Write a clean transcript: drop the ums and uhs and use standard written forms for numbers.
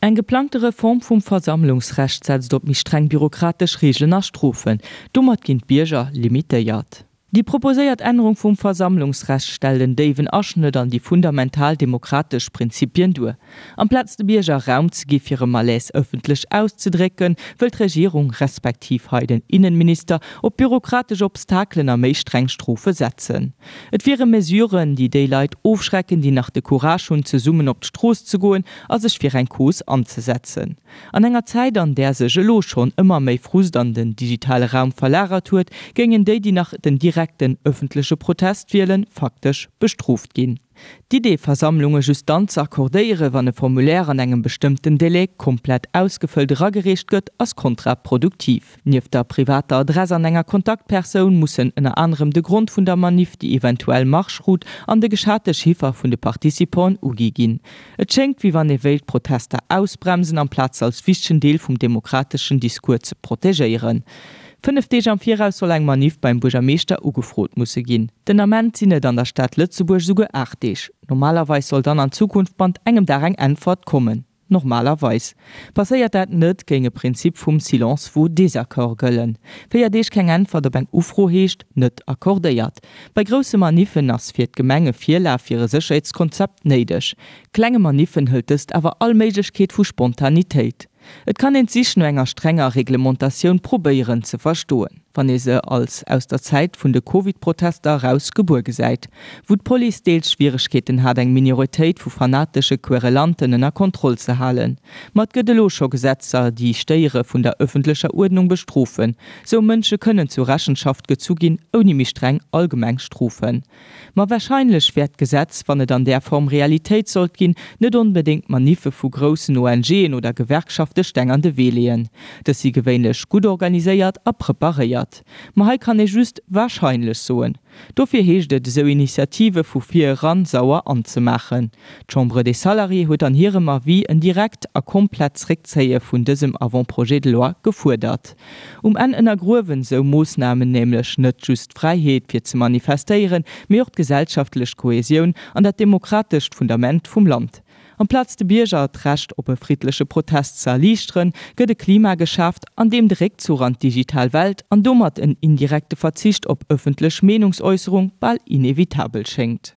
Eng geplangte Reform vum Versammlungsrecht setzt op méi streng bürokratesch Reegelen a Strofen. Domat ginn d'Bierger limitéiert. Déi proposéiert Ännerung vum Versammlungsrecht stellt en déiwen Aschnëtt an déi fundamental demokratesch Prinzipien duer. Amplaz de Bierger Raum ze gi fir e Malaise ëffentlech auszedrécken, wëll d'Regierung, respektiv hei den Innenminister, op bürokratesch Obstakelen a méi streng Strofe setzen. Et wiere Mesuren, déi déi Leit ofschrecken, déi nach de Courage hunn, zesummen op d'Strooss ze goen a sech fir eng Cause anzesetzen. An enger Zäit, an där sech elo schonn ëmmer méi Frust an den digitale Raum verlagert huet, géingen déi, déi nach den direkten ëffentleche Protest wielen, faktesch bestrooft ginn. D'Idee, Versammlunge just dann ze accordéieren, wann e Formulaire an engem bestëmmten Délai komplett ausgefëllt eragereecht gëtt, ass kontraproduktiv. Nieft der privater Adress an enger Kontaktpersoun mussen ënner anerem de Grond vun der Maniff, déi eventuell Marschroute an de geschate Chiffer vun de Participanten ugi ginn. Et schéngt, wéi wann ee wéilt d'Protester ausbremsen, amplaz se als wichtegen Deel vum demokrateschen Discours ze protegéieren. 5 Deeg am Viraus soll eng Maniff beim Buergermeeschter ugefrot musse ginn. Den Ament sinn et an der Stad Lëtzebuerg esouguer 8 Deeg. Normalerweis soll dann an Zukunft bannt engem Dag eng Äntwert kommen. Normalerweis. Passéiert dat net, géing e Prinzip vum Silence vaut désaccord gëllen. 4 Deeg keng Äntwert op eng Ufro heescht, net accordéiert. Bei grousse Maniffen ass fir d'Gemeng e Virlaf fir e Sécherheetskonzept néideg. Klenge Maniffen hëlt dëst awer all Méiglechkeet vu Spontanitéit. Et kann een d'Sich no enger strenger Reglementatioun probéieren ze verstoen, wann ee se als aus der Zäit vun de Covid-Protester eraus gebuer gesäit, wou d'Police deels Schwieregkeeten hat eng Minoritéit vu fanatesche Querelanten ënner Kontroll ze halen. Ma et gëtt elo scho Gesetzer, déi Stéiere vun der ëffentlecher Uerdnung bestrofen. Sou Mënsche kënnen zur Rechenschaft gezu ginn, ouni méi streng allgemeng Strofen. Ma warscheinlech wäert d'Gesetz, wann et an där Form Realitéit sollt ginn, net onbedéngt Maniffe vu groussen ONGen oder Gewerkschafte Steng an de Wee leeën. Dës si gewéinlech gutt organiséiert a preparéiert. Ma hei kann ee just warscheinlech soen. Dofir heescht et, esou Initiative vu vir eran sauer anzemaachen. D'Chambre des Salariés huet an hirem Avis en direkt a komplett Zréckzéie vun dësem Avant-projet de loi gefuerdert. Um Enn ënnergruewen esou Moossnamen nämlech net just d'Fräiheet fir ze manifestéieren, mee och d'gesellschaftlech Kohesioun an dat demokratescht Fundament vum Land. Amplaz de Bierger d'Recht op e friddleche Protest ze erliichteren, gëtt e Klima geschaaft, an deem de Réckzuch an d'digital Welt an domat en indirekte Verzicht op ëffentlech Meenungsäusserung bal inevitabel schéngt.